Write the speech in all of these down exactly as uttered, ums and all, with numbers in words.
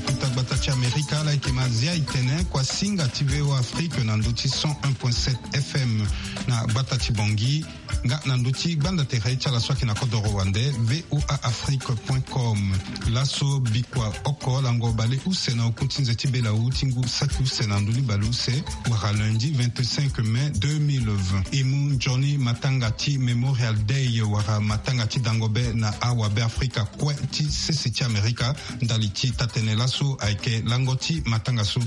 Kota gbata ti Amerika ala yeke ma zia e tene kua singa ti V O A Afrique na ndö ti cent un point sept F M na gbata ti Bangui, nga na ndö ti gbanda tere ti ala so ayeke na kodoro wande V O A Afrique point com. Laso bikua oko lango baleuse na oku ti nze ti belawu ti ngu saki use na ndö ni baleuse, wala lundi vingt-cinq mai deux mille vingt, e mu nzoni matanga ti Memorial Day wala matanga ti dango be na awabeafrika kue ti sese ti Amerika. Ndali ti taa-tënë laso ayeke lango ti matanga so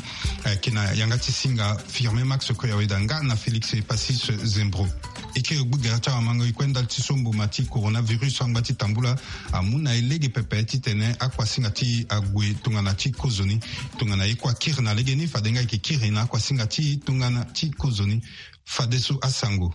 ayeke na yanga ti singa Firmin Max Koyaweda nga na Félix Passis Zembro. E kiri gbu gere ti awamango e kue ndali ti so mboma ti coronavirus angba ti tambula amu na e lege pepe titene akuasinga ti e ague tongana ti kozoni. Tongana e kue akiri na legeni, fade nga e yeke kiri na akuasinga ti e tongana ti kozoni. Fadeso asango.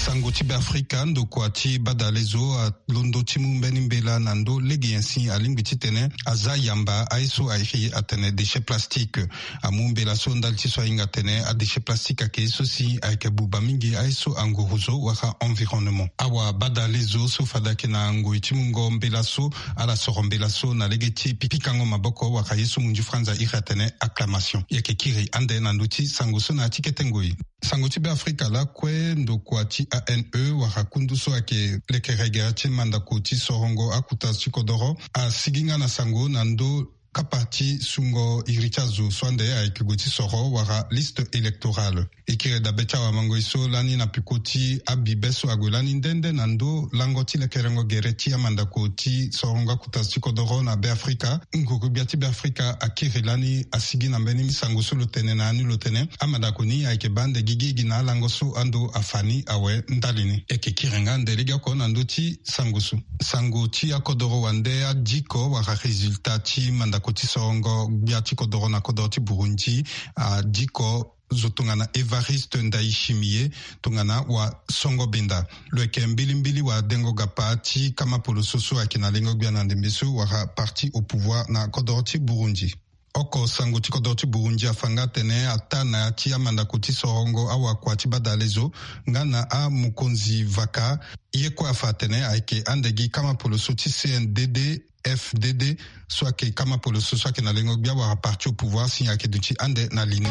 Sango ti Beafrika, ndokua ti badalezo alondo ti mu mbeni mbela na ndö lege nyen si alingbi titene aza yamba aye so airi atene déchet plastique. Amu mbela so ndali ti so ahinga atene adéchet plastique ayeke ye so si ayeke buba mingi aye so anguru zo wala environnement. Awabadalezo so fade ayeke na ngoi ti mungo mbela so, ala soro mbela so na lege ti pi- pikango maboko wala ye so munzu franza airi atene acclamation. E yeke kiri ande na ndö ti sango so na ya ti kete ngoi. Sango ti Beafrika lakue, ndokua ti A N E wala kundu so ayeke lekere gere ti mandako ti sorongo akuta ti kodoro asigi nga na sango na ndö kapa ti sungo iri ti azo so ande ayeke gue ti soro wala liste électorale. E kiri dabe ti awamango e so lani na peko ti abibe so ague lani nde nde na ndö lango ti lekerengo gere ti amandako ti sorongo akuta ti kodoro na Beafrika. Nguru-gbia ti Beafrika akiri lani asigi na mbeni sango so lo tene na ya ni lo tene amandako ni ayeke baa ande gigi gi na alango so ando afa ni awe ndali ni. E yeke kiri nga ande legeoko na ndö ti sango so. Sango ti akodoro wande adiko wala résultat ti mandako ti sorongo gbia ti kodoro na kodoro ti Burundi adiko zo tongana Évariste Ndayishimiye tongana wasongo benda. Lo yeke mbilimbili wadengo gapa ti kama poloso so ayeke na lengo gbia na ndembe so wala parti au pouvoir na kodoro ti Burundi. Oko sango ti kodoro ti Burundi afa nga atene ataa na ya ti amandako ti sorongo awakua ti badalezo nga na amokonzi vaka, ye kue afa atene ayeke ande gi kama poloso ti C N D D F D D so ayeke kama poloso so ayeke na lengo gbia wala parti au pouvoir si ayeke duti ande na li ni.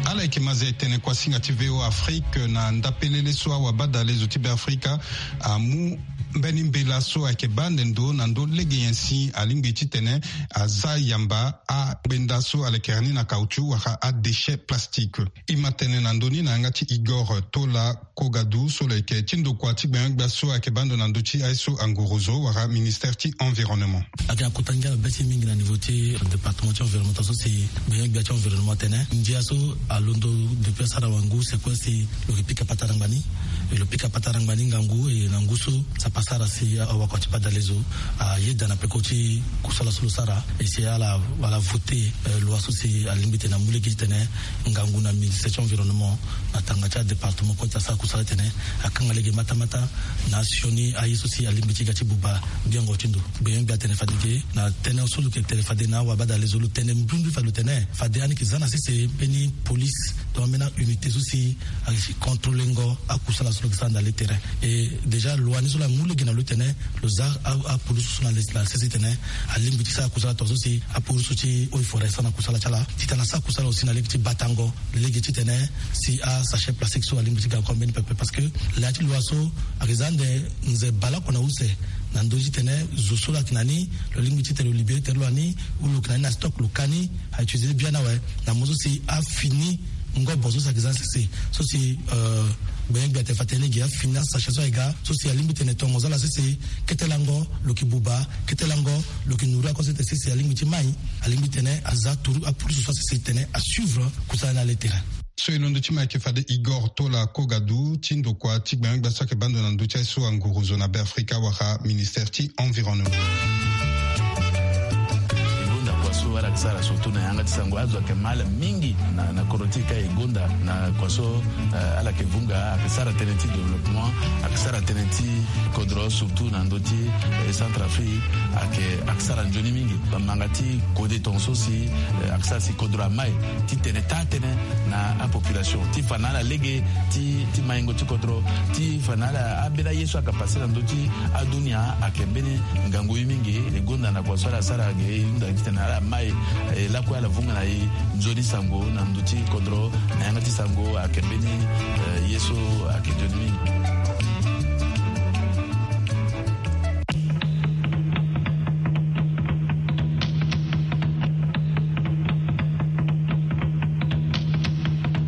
Ala yeke ma zia e tene kuasinga ti V O Afrique na ndapelele so awabadalezo ti Beafrika amu mbeni mbela so ayeke baa ande ndo na ndö lege nyen si alingbi titene aza yamba angbenda so alekere ni na caoutchouc wala adéchet plastique. E ma tene na ndö ni na yanga ti Igor Tola Kogadu so lo yeke ti ndokua ti gbenyo-gbia so ayeke baa ndo na ndö ti aye so anguru zo wala ministère ti environnement. Ayeke na kota ngia na be ti mingi na niveau ti département ti environnement so si gbenyo-gbia ti environnement atene ndia so alondo depuis asara wangu c'est quoi si lo yeke pika patara ngbani. E lo pika patara ngbani ngangu e na ngu so sapa asara si awakua ti badalezo ayeda na peko ti kusala so lo sara. E si ala ala voté loi so si alingbi tene amu lege titene ngangu na ministère ti environnement na tanga ti adépartement kue ti asara kusala titene akanga lege matamata na asioni aye so si alingbi ti ga ti buba biango ti ndo. Gbenyo-gbia atene fade ge na tënë so lo yeke tene fade na awabadalezo lo tene mbrimbri fade lo tene fade ani yeke za na sese mbeni police donc ambeni aunité so si ayeke contrôlengo akusala so lo yeke sara na le terrain. E déjà loi ni so lo amu lege na lo titene lo za apolice so na sese titene alingbi ti sara kusala tongaso si apolice so ti eaux et forêts asara na kusala ti ala titene asara kusala aussi na lege ti batango lege titene si asachet plastique so alingbi ti ga encore mbeni pepe parce que laa ti loi so ayeke za ande nze baleoko na use na ndö ti tene zo so lo yeke na ni lo lingbi titene lo libéré tere lo na ni ou lo yeke na ni na stock lo ka ni a utiliser biani awe na mo so si afini ngobo so si ayeke za sese so si gbenyo-gbia atene fa tene lege afini asachet so ayeke ga so si alingbi tene tongo so ala sese kete lango lo yeke buba kete lango lo yeke nourrir ako sese alingbi ti mai alingbi tene aza turu apolice so asese tene asuivre kusala ni na le terrain. So e londo ti ma ayeke fade Igor Tola Kogadu ti ndokua ti gbenyo-gbia so ayeke baa ndo na ndö ti aye so anguru zo na Beafrika wala ministère ti environnement. Sara surtout na yanga ti sango azo ayeke ma ala mingi na, na kodro ti e ka e gonda na kua so, eh, ala yeke vunga, ayeke sara tënë ti développement, ayeke sara tënë ti kodro surtout na ndö ti, eh, Centrafrique, ayeke, ayeke sara nzoni mingi. Manga ti kode tongaso si, eh, ayeke sara si kodro amai titene taa tënë na apopulation ti fa na ala lege ti, ti maingo ti kodro, ti fa na ala ambeni aye so ayeke pase na ndö ti adunia ayeke mbeni ngangu ye mingi. E gonda na kua so ala sara ge e hunda titene ala mai, eh, lakue ala vunga na e nzoni sango na ndö ti kodro na yanga ti sango ayeke mbeni, eh, ye so ayeke nzoni mingi.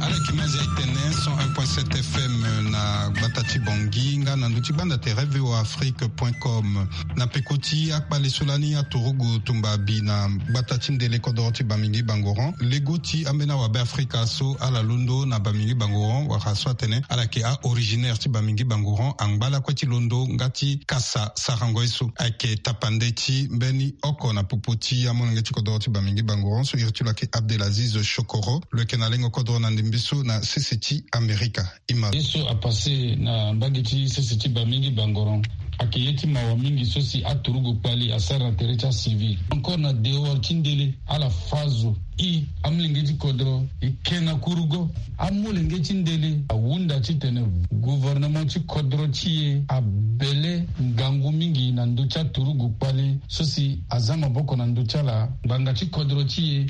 Ala yeke ma zia e tene cent un point sept F M na gbata ti Bangui nga na ndö ti gbanda tere V O A Afrique point com. Na peko ti akpale so lani aturugu tumba bi na gbata ti ndele kodoro ti Bamingui Bangoran, lego ti ambeni awabe Afrika so ala londo na Bamingui Bangoran wala so atene ala yeke a-originaire ti Bamingui Bangoran angba lakue ti londo nga ti kasa sarango ye so. Ayeke tapande ti mbeni oko na popo ti amolenge ti kodoro ti Bamingui Bangoran so iri ti lo ayeke Abdelaziz Chokoro, lo yeke na lengo kodoro na ndembe so na sese ti Amerika. Ima. Ye so apase na mbage ti sese ti Bamingui Bangoran ayeke ye ti mawa mingi so si aturugu kpali asara na tere ti acivil. Encore na dehors ti ndele, ala fa zo. I, amolenge ti kodro, i ke na kurugo. Amolenge ti ndele ahunda titene gouvernement ti kodro ti e abele ngangu mingi na ndö ti aturugu kpali so si aza maboko na ndö ti ala ngbanga ti kodro ti e,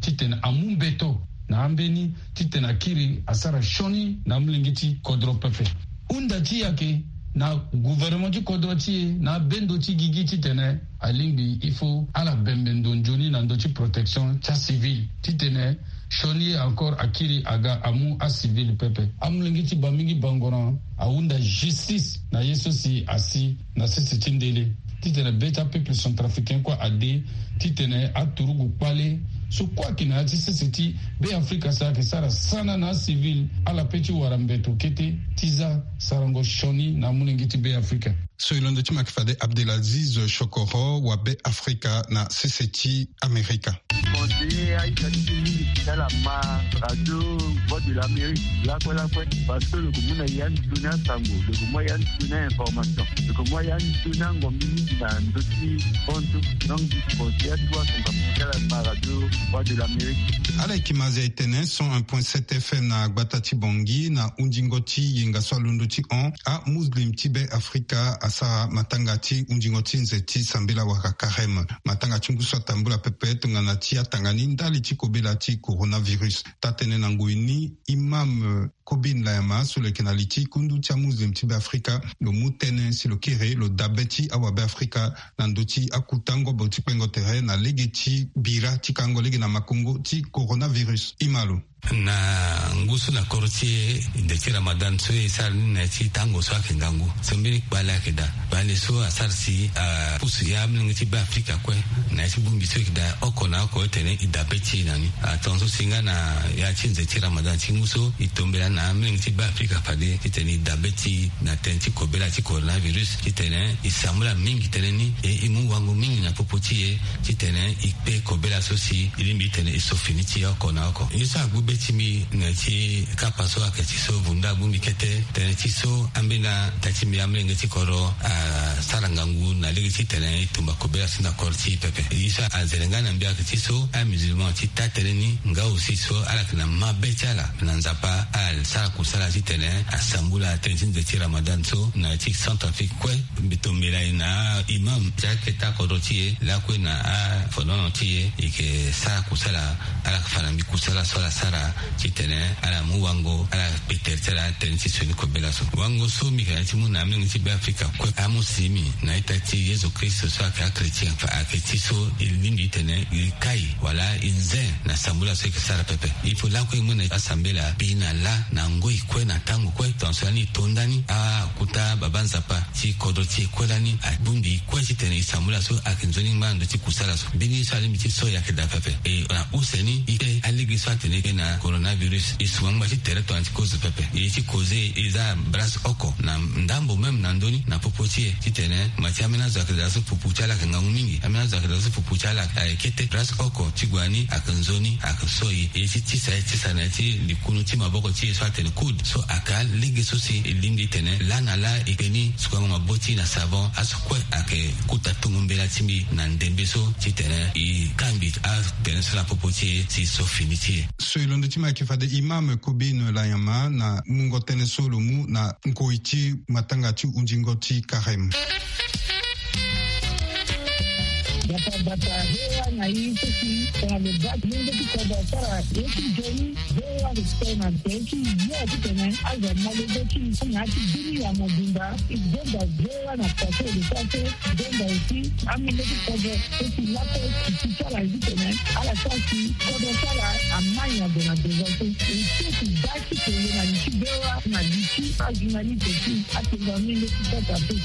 titene amu mbeto na ambeni titene akiri asara sioni na amolenge ti kodro pepe. Hunda ti e ayeke na gouvernement ti kodro ti e na abendo ti gigi titene alingbi il faut ala bembe ndo nzoni na ndö ti protection ti acivil titene sioni ye encore akiri aga amu acivil pepe. Amolenge ti Bamingui Bangoran ahunda justice na ye so si asi na sese ti ndele titene be ti apeuple centrafricain kue ade titene aturugu kpale so kue ayeke na ya ti sese ti Be Afrika so ayeke sara sana na acivil, ala pe ti wara mbeto kete ti za sarango sioni na amolenge ti Be Afrika. So e londo ti ma yeke fade Abdelaziz Chokoro wa Be Afrika na sese ti Amerika. Conseiller aita ti mingi ti ala ma radio Voix de l'Amérique lakue lakue, parce que lo yeke mu na ya ni tuni asango, lo yeke mu ya ni tuni a-information, lo yeke mu ya ni tuni angombi mingi na ndö ti bantu. Donc, conseiller atuwa asango ti ala ma radio Voix de l'Amérique. Ala yeke ma zia e tene cent un point sept F M na gbata ti Bangui na hundingo ti yenga so alondo ti hon amuslim ti Be Afrika asara matanga ti hundingo ti nze ti sambela wala karême. Matanga ti ngu so atambula pepe tongana ti atanga ni ndali ti kobela ti coronavirus. Taa-tënë na ngoi ni, imam Kobin Layama so lo yeke na li ti kundu ti amuslim ti Be Afrika, lo mu tënë si lo kiri lo dabe ti awabe Afrika na ndö ti akuta ngobo ti kpengo tere na lege ti bira ti kango lege na makongo ti coronavirus. Ima lo. Na ngu so na kodro ti e, nze ti Ramadan so e sara ni na ya ti tango so ayeke ngangu so mbeni kpale ayeke daa. Kpale so asara si apusu ya amolenge ti Be Afrika kue na ya ti bongbi so e yeke daa oko na oko, e tene e dabe ti e na ni. Atongaso si nga na ya ti nze ti Ramadan ti ngu so e tombela na amolenge ti Be Afrika fade titene e dabe ti e na tënë ti kobela ti coronavirus titene e sambula mingi tënë ni, e e mu wango mingi na popo ti e titene e kpe kobela so si e lingbi titene e so fini ti e oko na oko. Ye so agbu be ti mbi na ya ti kapa so ayeke ti so vundu agbu mbi kete. Tënë ti so ambeni ata ti mbi amolenge ti kodro asara ngangu na lege titene e tumba kobela so na kodro ti e pepe. Ye so azere nga na mbi ayeke ti so amusulman ti taa-tënë ni nga aussi so ala yeke na mabe ti ala na Nzapa, ala sara kusala titene asambula tënë ti nze ti Ramadan so na ya ti Centrafrique kue. Mbi tombela e na imam ti akete akodro ti e lakue na afonono ti e, e yeke sara kusala. Ala yeke fa na mbi kusala so ala sara titene ala mu wango, ala kpe tere ti ala tënë ti sioni kobela so. Wango so mbi yeke na ya ti mu na amolenge ti Be Afrika kue amu simi na ita ti Yezu Kristo so ayeke achrétien, fa ayeke ti so e lingbi titene e kai wala e nze na sambela so e yeke sara pepe. Il faut lakue e mu na asambela bi na lâ na ngoi kue na tango kue. Tongaso lani e to ndani akuta baba Nzapa ti kodro ti e kue lani abongbi e kue titene e sambela so ayeke nzoni ngba na ndö ti kusala so. Mbeni ye so alingbi ti so e ayeke daa pepe. E na use ni e kpe alege so atene e kpe na Coronavirus e sunga ngba ti tere tongana ti kozo pepe. E ye ti kozo e za brase oko na ndambo même na ndö ni na popo ti e titene ma ti ambeni azo ayeke daa so pupu ti ala ayeke ngangu mingi. Ambeni azo ayeke daa so pupu ti ala ayeke kete. Brase oko ti gue na ni ayeke nzoni ayeke so e. E ye ti tisa e tisa na ya ti likunu ti maboko ti e so atene coude so ayeke alege so si e lingbi titene laa na laa e kpe ni sukango maboko ti e na savon. Aso kue ayeke kota tongo mbela ti mbi na ndembe so titene e kangbi atene so na popo ti e si e so fini ti e. So e londo ti ma ayeke fade imam Kobin Layama na mungo tënë so lo mu na nkoi ti matanga ti hundingo ti Karem. Bata bata, V O A na i so si tongana lo baa ti mungo ti kodro asara ye ti nzoni. V O A respect na be ti yo titene azo amolenge ti i na ya ti bini ya mobimba. I zonza V O A na façon de faire. Zonza aussi amolenge ti kodro so si lakue ti ti ti ala ye titene ala sara si kodro ti ala amai na gue na devant so. E so si baa ti pele na li ti V O A na li ti ajournaliste ti atengo amolenge ti kodro ape.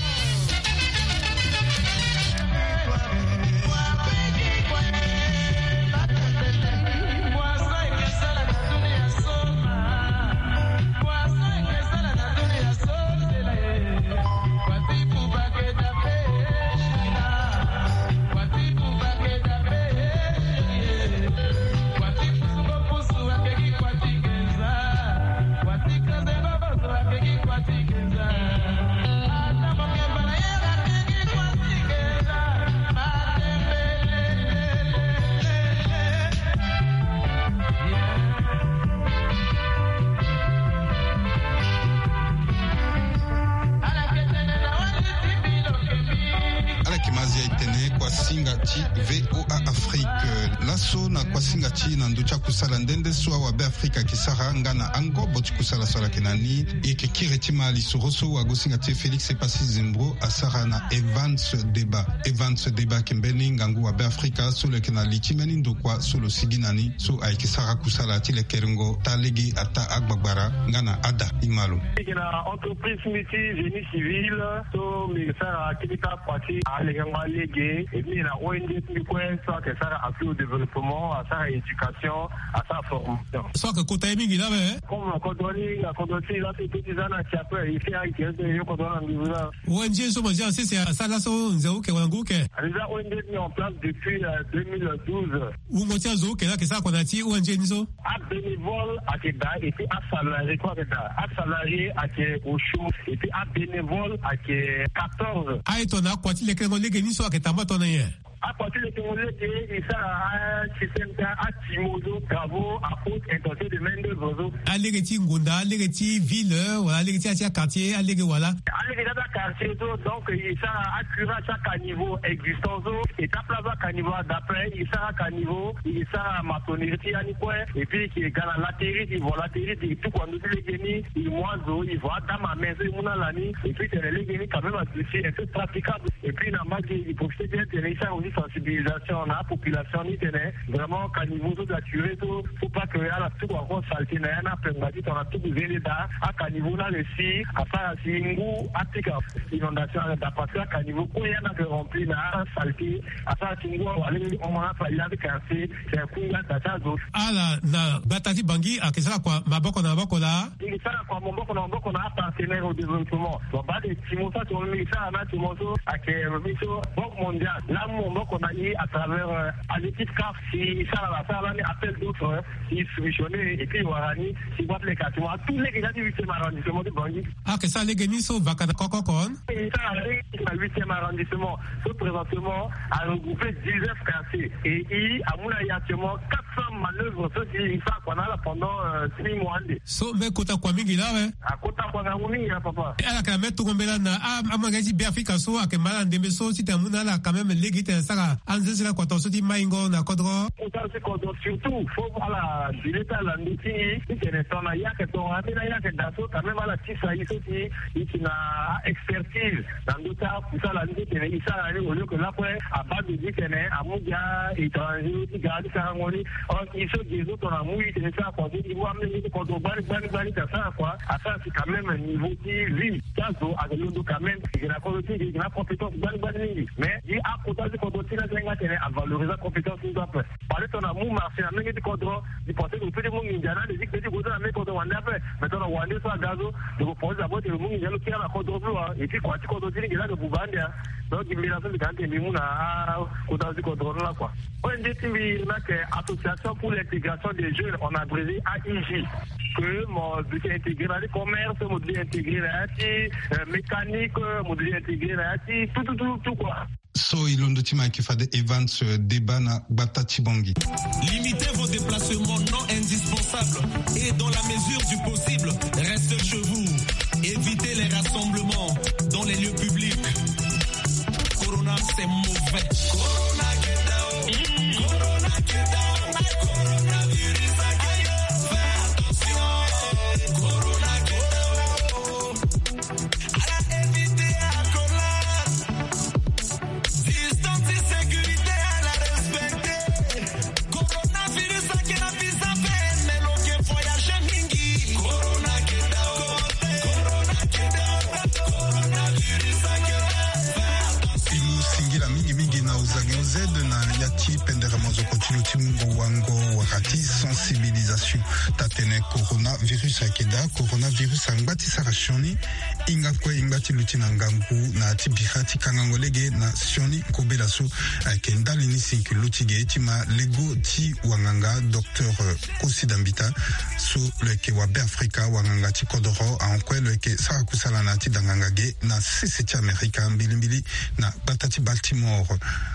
Ala yeke ma zia e tene kuasinga ti V O A Afrique. Laso na kuasinga ti e na ndö ti akusala nde nde so awabe Afrika ayeke sara nga na angobo ti kusala so ala yeke na ni. E yeke kiri ti ma lisoro so wagosinga ti e Félix Epassi Zembro asara na Evans Deba. Evans Deba ayeke mbeni ngangu wabe Afrika so lo yeke na li ti mbeni ndokua so lo sigi na ni so ayeke sara kusala ti lekerengo taa lege ataa agbagbara nga na ada. Imalo. Lege na entreprise mbi ti génie civil so mbi sara akili taa kua ti alengango alege. E mbi na O N G ti mbi kue so ayeke sara appui au développement, asara éducation, asara formation. So ayeke kota ye mingi laa awe. Comme na kodro ni na kodro ti e laso e peut ti za na ti ape e fait ayeke so e yo kodro na nduzu laa. O N G so mo zia na sese asara laso nze uke wala ngu uke? Déjà O N G mis en place depuis euh, deux mille douze. Wungo ti azo uke laa ayeke sara kua na ya ti O N G ni so? Abénévole ayeke daa et puis asalarié kue ayeke daa. Asalarié ayeke au chaud et puis abénévole ayeke quatorze. Aye tongana akua ti lekerengo lege ni so ayeke tamba tongana nyen? Akua ti lekerengo lege e sara asystème ti atimo so, travaux à haute intensité de main d'œuvre so. Alege ti ngonda, alege ti ville wala alege ti ya ti aquartier alege wala? Alege ti aquartier so, donc e sara acurage ti acaniveau existant so e tape la so acaniveau ada ape. E sara acaniveau, e sara maçonnerie ti ya ni kue. Et puis e ga na latérite, e vo latérite, e tuku na ndö ti lege ni, e mu azo, e vo adame à main so e mu na ala ni. Et puis tene lege ni quand même aduti un peu praticable. Et puis na mbage e profiter bien tene e sara aussi sensibilisation na apopulation ni tene vraiment caniveau so saturé so, faut pas que ala tuku encore saleté na ya ni apengba ti tongana tuku zende daa. Acaniveau ni ayeke si asara si ngu apika inondation ayeke daa parce que acaniveau kue ya ni ayeke rempli na asaleté. Asara ti ngu awe alingbi hon na afali laa ti quartier. C'est kunga daa ti azo. Ala na gbata ti Bangui ayeke sara kua maboko na maboko laa? E sara kua maboko na maboko na apartenaire au développement. Bon, baa de timo so atimo mingi sara na timo so ayeke mbi so Banque mondiale laa amu maboko na e à travers euh, à l'équipe caf si e sara la sara lani appel d'offre. E soumissionné et puis e wara ni si gbata leke atimo atout lege na ya ti huitième arrondissement ti Bangui. Ayeke sara lege ni so vaka na koko oko? E sara lege na huitième arrondissement. So présentement a regrouper dix-neuf quartiers et e amu na e actuellement quatre cents manœuvres so si e sara kua na ala pendant euh, six mois ande. So mbeni kota kua mingi laa awe. Akota kua ngangu mingi ya papa. Ala yeke na mbeni tongo mbela na amolenge ti Beafrika so ayeke ma ala na ndembe so titene amu na ala quand même lege titene asara anzenzela kua tongaso ti maingo na kodro. Kota so ti kodro surtout faut ala dile ti ala na ndö ti e titene tongana e yeke tongana ambeni a yeke daa so quand même ala tisa e so si e si na expertise na ndö ti akusala ni titene e sara ni au lieu que lakue abaa dozi titene amu gi a-étranger ti ga ti sarango ni. Or e so gi e so tongana amu e titene e sara kua so e mu amolenge ti kodro gbani gbani gbani ti asara kua asara si quand même Niveau ti vie ti azo ayeke londo quand même. E yeke na kodro ti e, e yeke na compétence gbani gbani mingi. Mais gi akota ti kodro ti e ni, asenga atene avalorise acompétence ni so ape. Pale tongana amu marché na mbeni ti kodro, e pense que e peut ti mu nginza na ande ti kpe ti gue so na mbeni kodro wande ape. Mais tongana wande so aga so, e ko pense d'abord tene e mu nginza lo kiri na kodro so wa. Et puis kua ti kodro ti ni ge laa ayeke buba ande. Donc gi mbela so mbi ga ande mbi mu na akota ti kodro ni lakua. O N G ti mbi ni ayeke Association pour l'intégration des jeunes, en abrégé A I J. Que mo duti intégrer na ti commerce, mo duti intégrer na ya ti, euh, mécanique, mo duti intégrer na ya ti tout, tout, tout, tout quoi. So e londo ti mo ayeke fade Evans, euh, Deba na gbata ti Bangui. Limitez vos déplacements non indispensables et, dans la mesure du possible, restez chez vous. Évitez les rassemblements dans les lieux publics. Corona, c'est mauvais. Corona, get down. Corona, get down. Coronavirus, get down. Fais attention. Corona, get down. À la éviter, à la collage. Distance, sécurité, à la respecter. Coronavirus ayeke na visa pe, mais lo yeke voyager mingi. Corona ayeke na, corona ayeke na, coronavirus ayeke na. Fais attention. Ti singila mingi mingi na ozangi oz na ya ti pendere mozoko ti lo ti mungo wango wala ti sensibilisation. Taa-tënë coronavirus ayeke daa. Coronavirus angba ti sara sioni. Hinga kue e ngba ti luti na ngangu na ya ti bira ti kangango lege na sioni kobela so. Ayeke ndali ni si e yeke luti ge ti ma lego ti wanganga docteur, euh, Kosi Dambita, so lo yeke wa Beafrika, wanganga ti kodoro, ahon kue lo yeke sara kusala na ya ti danganga ge na sese ti Amerika, mbilimbili na gbata ti Baltimore.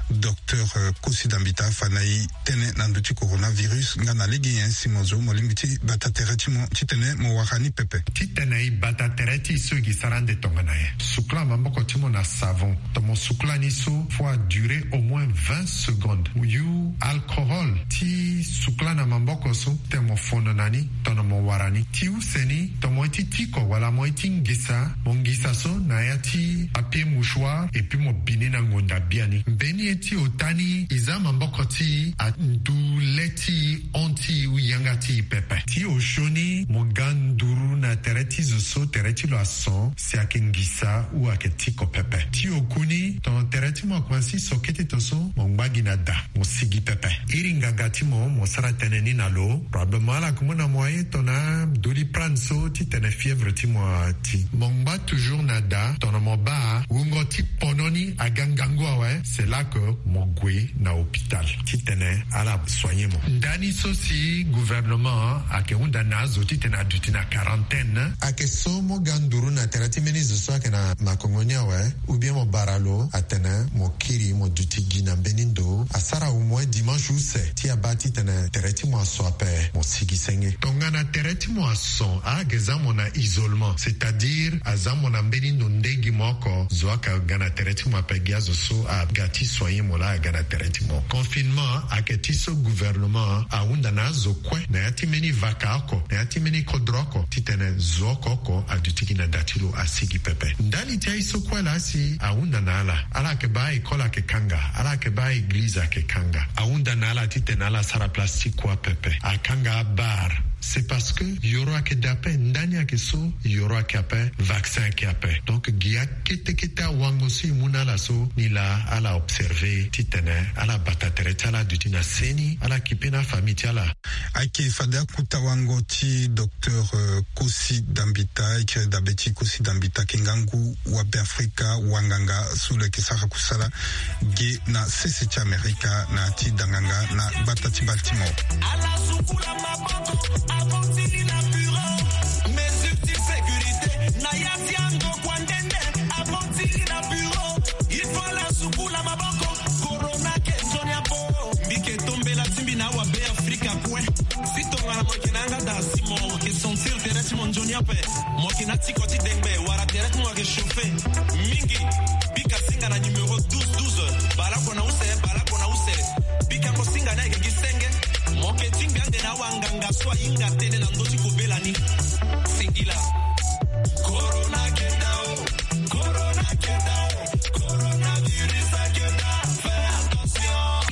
Docteur, euh, Kosi Dambita afa na e tënë na ndö ti coronavirus, nga na lege nyen si mo zo mo lingbi ti bata tere ti mo titene mo wara ni pepe. Titene e bata tere ti e so e gi sara ande tongana nyen? Sukula maboko ti mo na savon. Tongana mo sukula ni so, faut a durer au moins vingt secondes. Yu alcohol ti sukula na maboko so, titene mo fono na ni tongana mo wara ni. Ti use ni, tongana mo ye ti tiko wala mo ye ti ngisa, mo ngisa so na ya ti papier mouchoir, et puis mo bi ni na ngonda biani. Mbeni ye ti ota ni, e za maboko ti e, andu le ti e, hon ti e, yanga ti e pepe. Ti osio ni, mo ga nduru na tere ti zo so tere ti lo ason, si ayeke ngisa ou ayeke tiko pepe. Ti oku ni, tongana tere ti mo akomanse so kete to so, mo ngba gi na da, mo sigi pepe. Iri nganga ti mo, mo sara tënë ni na lo. Probablement ala yeke mu na mo aye tongana Doliprane so titene fièvre ti mo ati. Mo ngba toujours na da, tongana mo baa wungo ti pono ni aga ngangu awe, c'est là que mo gue na hôpital titene ala soigner mo. Ndani so si gouvernement ayeke hunda na azo titene aduti na quarantaine. Ayeke so mo ga nduru na tere ti mbeni zo so ayeke na makongo ni awe, ou bien mo bara lo atene mo kiri mo duti gi na mbeni ndo. Asara au moins dimanche use ti abaa titene tere ti mo aso ape, mo sigi senge. Tongana tere ti mo ason, ayeke za mo na isolement, c'est-à-dire aza mo na mbeni ndo nde gi mo oko. Zo ayeke ga na tere ti mo ape, gi azo so aga ti soigner mo laa aga na tere ti mo. Confinement ayeke ti so gouvernement ahunda na azo kue na ya ti mbeni vaka oko, na ya ti mbeni kodro oko, titene zo oko oko aduti gi na da ti lo, asigi pepe. Ndali ti aye so kue laa si ahunda na ala, ala yeke baa école ayeke kanga, ala yeke baa église ayeke kanga. Ahunda na ala titene ala sara place ti kua pepe. Akanga abar. C'est parce que yoro ayeke daa ape, ndani ayeke so, yoro ayeke ape, vaccin ayeke ape. Donc gi akete kete awango so e mu na ala so, ni laa ala observer titene ala bata tere ti ala aduti na seni, ala kipe na afamille ti ala. Ayeke fade akota wango ti docteur, euh, Kosi Dambita, e kiri dabe ti Kosi Dambita, ayeke ngangu wa Beafrika, wanganga so lo yeke sara kusala ge na sese ti Amerika na ya ti danganga na gbata ti Baltimore. Ala sukula maboko, abongili na bureau. Mesure ti sécurité na ya ti andokua nde nde, abongili na bureau. Il faut ala sukula maboko. Corona ke nzoni apo. Mbi ke tombela ti mbi na awa Beafrika kue. Si tongana mo yeke na yanga daa si mo ke sentir tere ti mo nzoni ape, mo yeke na tiko ti dengbe wala tere ti mo ayeke chauffer mingi, bika singa na numéro douze douze. Bale oko na use, bale oko na use. Bika mo singa ni ayeke gi senge. Mo ke tingbi ande na awanganga so ahinga tënë na ndö ti kobela ni. Singila. Corona ke daa o. Corona ke daa o. Coronavirus ke daa. Fais attention.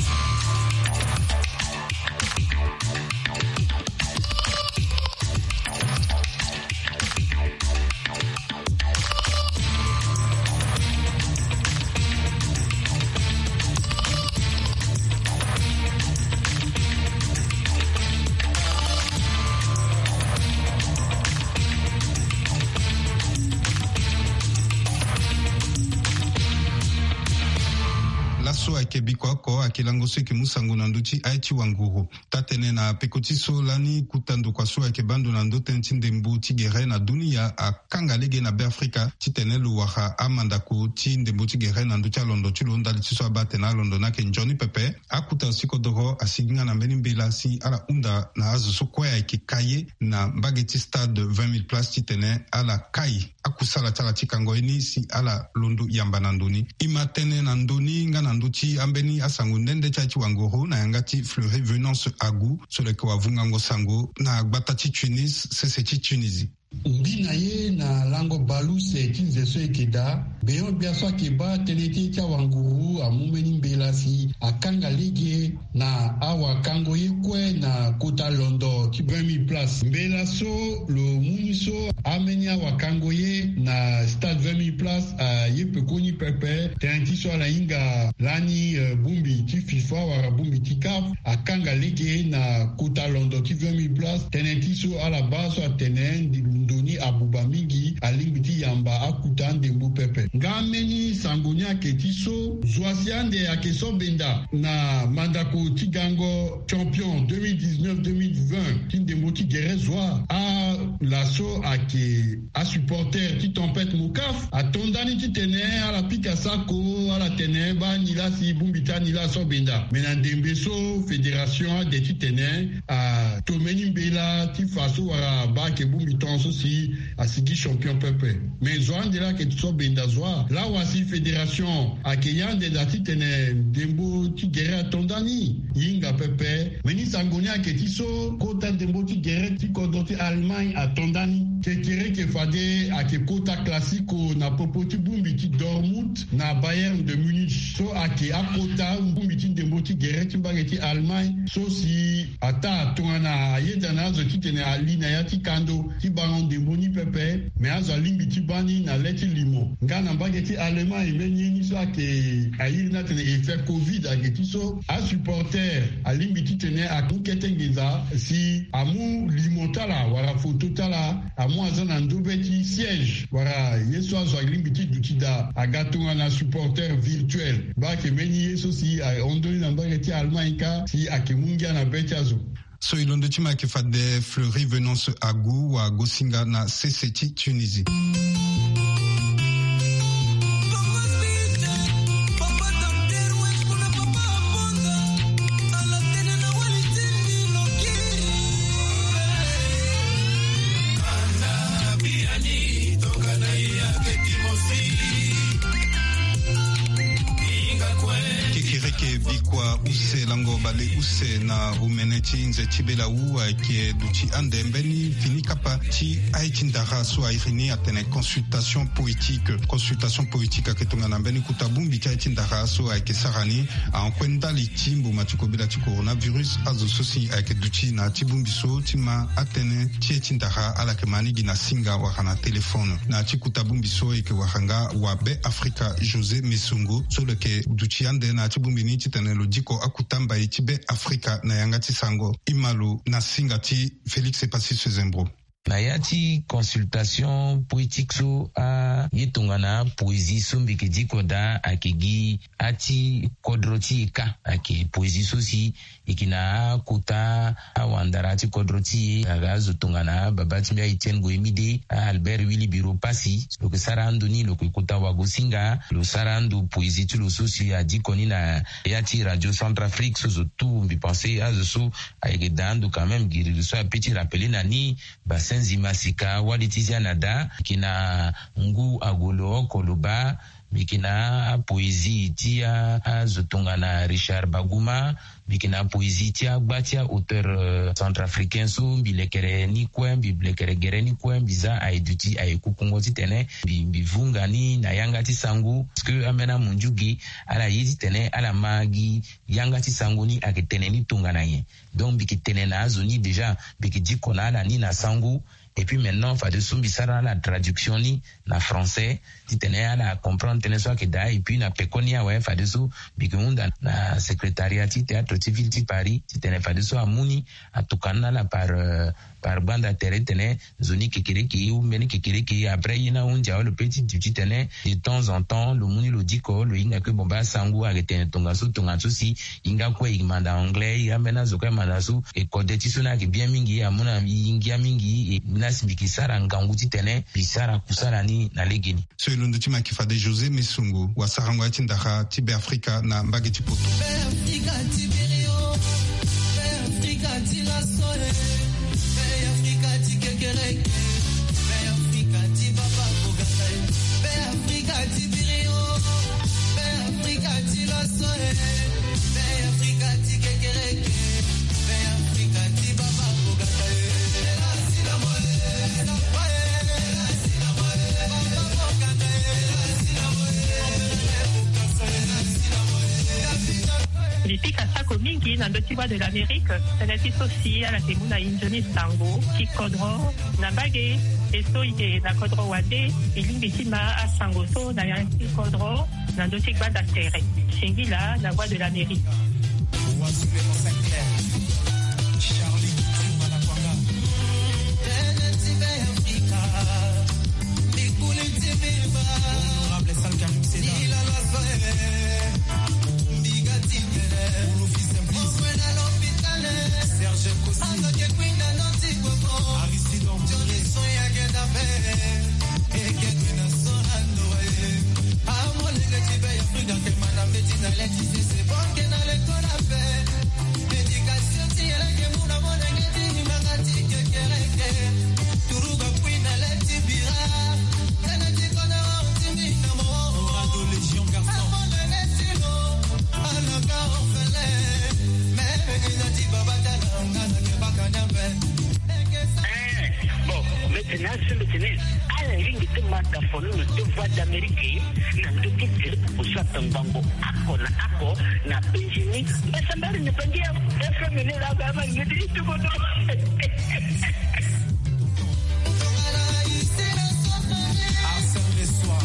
So ayeke biko oko ayeke lango so eke mu sango na ndö ti aye ti wanguru. Taa-tene na peko ti so lani kota ndokua so ayeke baa ndo na ndö tënë ti ndembo ti gere na dunia akanga lege na Be Afrika titene lo wara amandako ti ndembo ti gere na ndö ti alondo ti lo ndali ti so abaa atene alondo ni ayeke nzoni pepe. Akota sikodo asigi nga na mbeni mbela si ala hunda na azo so kue ayeke ka ye na mbage ti stade vingt mille places titene ala kai akusala ti ala ti kango ye ni si ala londo yamba na ndo ni. E ma tene na ndo ni nga na ndö ti ambeni asango nde nde ti aye ti wanguru na yanga ti Fleury Venance Agu so lo yeke wavungango sango na gbata ti Tunis, sese ti Tunisie. Mbi na ye na lango baleuse ti nze so e yeke daa. Beyon gbia so ayeke baa tënë ti ye ti awanguru amu mbeni mbela si akanga lege na awakango ye kue na kota londo ti vingt mille places. Mbela so lo mu ni so, ambeni awakango ye na stade vingt mille places aye pekoni pepe. Tënë ti so ala hinga lani, eh, bongbi ti FIFA wala bongbi ti CAF akanga lege na kota londo ti vingt mille places. Tënë ti so ala baa so atene ndo ni abuba mingi, alingbi ti yamba akota ndembo pepe. Nga mbeni sango ni ayeke ti so, zo asi ande ayeke so benda na mandako ti gango champion deux mille dix-neuf deux mille vingt ti ndembo ti gere zo. Ala so ayeke asupporter ti Tempête Mocaf ato ndani titene ala pika sako, ala tene baa ni laa si bongbi ti ani laa so benda. Me na ndembe so fédération ade titene ato mbeni mbela ti fa so wala baa ayeke bongbi tongaso si asigi champion pepe. Me zo ande laa ayeke so benda zo. Lawa si fédération ayeke ye ande daa titene ndembo ti gere ato ndani, e hinga pepe. Mbeni sango ni ayeke ti so kota ndembo ti gere ti kodro ti Allemagne ato ndani. Kekereke fade ayeke kota classico na popo ti bongbi ti Dortmund na Bayern de Munich. So ayeke akota bongbi ti ndembo ti gere ti mbage ti Allemagne so si ataa tongana ayeda na azo titene ali na ya ti kando ti bango ndembo ni pepe. Me azo alingbi ti baa ni na le ti limo. Nga na mbage ti Allemagne, mbeni ye ni so ayeke airi ni atene effet covid ayeke ti so asupporter alingbi titene amu kete nginza si amu limo ti ala wala foto ti ala amu aza na ndö be ti siège wala ye so azo alingbi ti duti daa aga tongana supporter virtuel. Baa ayeke mbeni ye so si ahon ndoni na mbage ti Allemagne kâ si ayeke mu ngia na be ti azo. So e londo ti ma ayeke fade Fleury Venance Agu wa Gosinga na sese ti Tunisie. Kekereke bikua use lango baleuse na omene ti nze ti belawu ayeke duti ande mbeni fini kapa ti aye ti ndara so airi ni atene consultation poétique. Consultation poétique ayeke tongana mbeni kota bongbi ti aye ti ndara so ayeke sara ni ahon kue ndali ti mboma ti kobela ti coronavirus. Azo so si ayeke duti na ya ti bongbi so ti ma atënë ti ye ti ndara ala yeke ma ni gi na singa wala na telefone. Na ya ti kota bongbi so e yeke wara nga wa Be Afrika José Mesongo so lo yeke duti ande na ya ti bongbi ni titene lo diko akota mbai ti Be Afrika na yanga ti sango. E ma lo na singa ti Félix Epassis Sezembro. Na ya ti consultation poétique so aye tongana poésie so mbi yeke diko daa ayeke gi ati kodro ti e kâ. Ayeke poésie so si e yeke na akota awandara ti kodro ti e aga azo tongana baba ti mbi a-Etienne Goyemide, a-Albert Willy Biro Passy. Lo yeke sara ando ni lo yeke kota wagosinga. Lo sara ando poésie ti lo so si adiko ni na ya ti Radio Centrafrique so zo tout mbi pense azo so ayeke daa ando quand même giri lo so ape ti rappeler na ni Basenzi Masika, Wali ti Zia na Da, mbi yeke na Ngu Agolo oko lo baa, mbi yeke na apoésie ti a, azo tongana Richard Baguma, mbi yeke na apoésie ti agba ti a-auteur, euh, centrafricain so mbi lekere ni kue, mbi lekere gere ni kue, mbi za aye duti aye kukungo titene mbi, mbi vunga ni na yanga ti sango. Parce que ambeni amundiu ge ala ye titene ala ma gi yanga ti sango ni ayeke tene ni tongana nyen. Donc mbi yeke tene na azo ni déjà, mbi yeke diko na ala ni na sango. Et puis maintenant fadeso mbi sara ala traduction ni na français titene ala comprendre tënë so ayeke daa. Et puis na pekoni awe fadeso mbi yeke hunda na secrétariat ti théâtre ti ville ti Paris titene fadeso amu ni, atokua ni na ala par par gbanda tere titene nzoni kekereke ye ou mbeni kekereke ye. Après ye ni ahunzi awe lo pe ti duti titene de temps en temps lo mu ni lo diko lo hinga kue bomba asangu ayeke tene tongaso tongaso si. Hinga kue e manda anglais e ambeni azo kue amanda so e kode ti so ni ayeke bien mingi amu na e ngia mingi e na si mbi ke sara ngangu titene mbi sara kusala ni na legeni. So e londo ti ma yeke fade José Mesongo wa sarango ya ti ndara ti Be Afrika na mbage ti poto. Mbi pika sako mingi na ndö ti Voix de l'Amérique. Tënë ti so si ala yeke mu na e nzoni sango ti kodro na mbage. E so e yeke na kodro wande, e lingbi ti ma asango so na ya ti kodro na ndö ti gbanda tere. Singila na Voix de l'Amérique. Eh, bon, maintenant, c'est maintenant. Ala ringi ti mata fono no ti Voix d'Amérique na ndö ti groupe oso ape ngbongo ako na ako na Benjini. Mbasambari ni pangia F M ni la ba ma ni ti tuko no. Arsène Lesoir.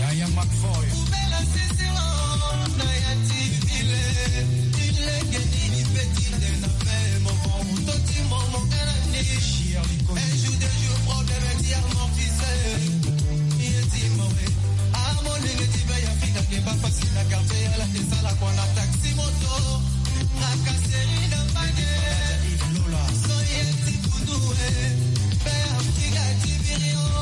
Yaya McFoy.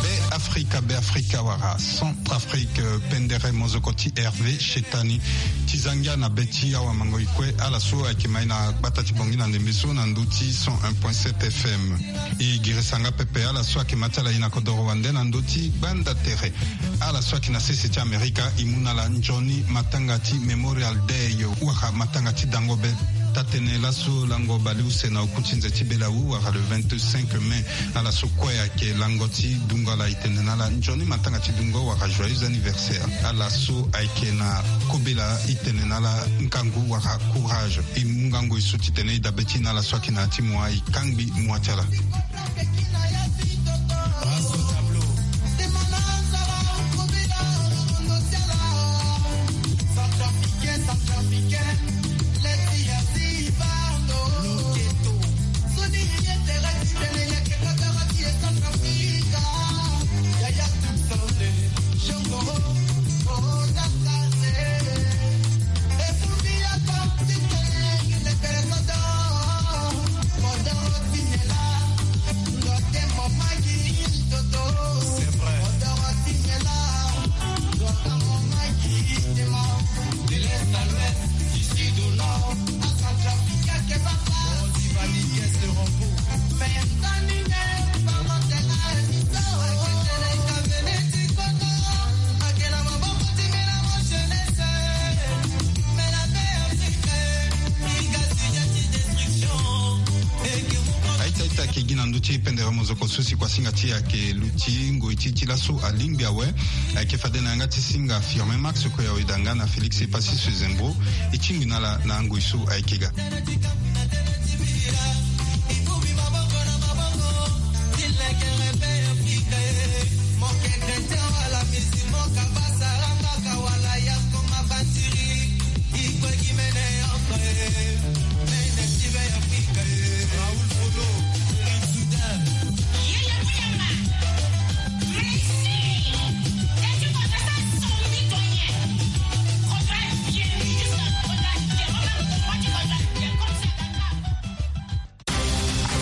Be Afrika, Be Afrika wala Centrafrique, pendere mozoko ti Hervé Chetani. Ti zangia na be ti awa mango e kue ala so ayeke ma e na gbata ti Bangui na ndembe so na ndö ti cent un point sept F M. E girisa nga pepe ala so ayeke ma ti ala e na kodoro wande na ndö ti gbanda tere. Ala so ayeke na sese ti Amerika e mu na ala nzoni matanga ti Memorial Day wala matanga ti dango be. Taa-tënë laso lango baleuse na oku ti nze ti belawu wala le vingt-cinq mai. Ala so kue ayeke lango ti dungo ala e tene na ala nzoni matanga ti dungo wala joyeux anniversaire. Ala so ayeke na kobela e tene na ala ngangu wala courage. E mu ngangu e so titene e dabe ti na ala so ayeke na ya ti mua e kangbi mua ti ala. Aita aita ayeke gi na ndö ti pendere mozoko so si kuasinga ti e ayeke luti ngoi ti e ti laso alingbi awe. Ayeke fade na yanga ti singa Firmin Max kue awe danga na Félix Epassi Sezembro. E tingbi na ala na ngoi so ayeke ga.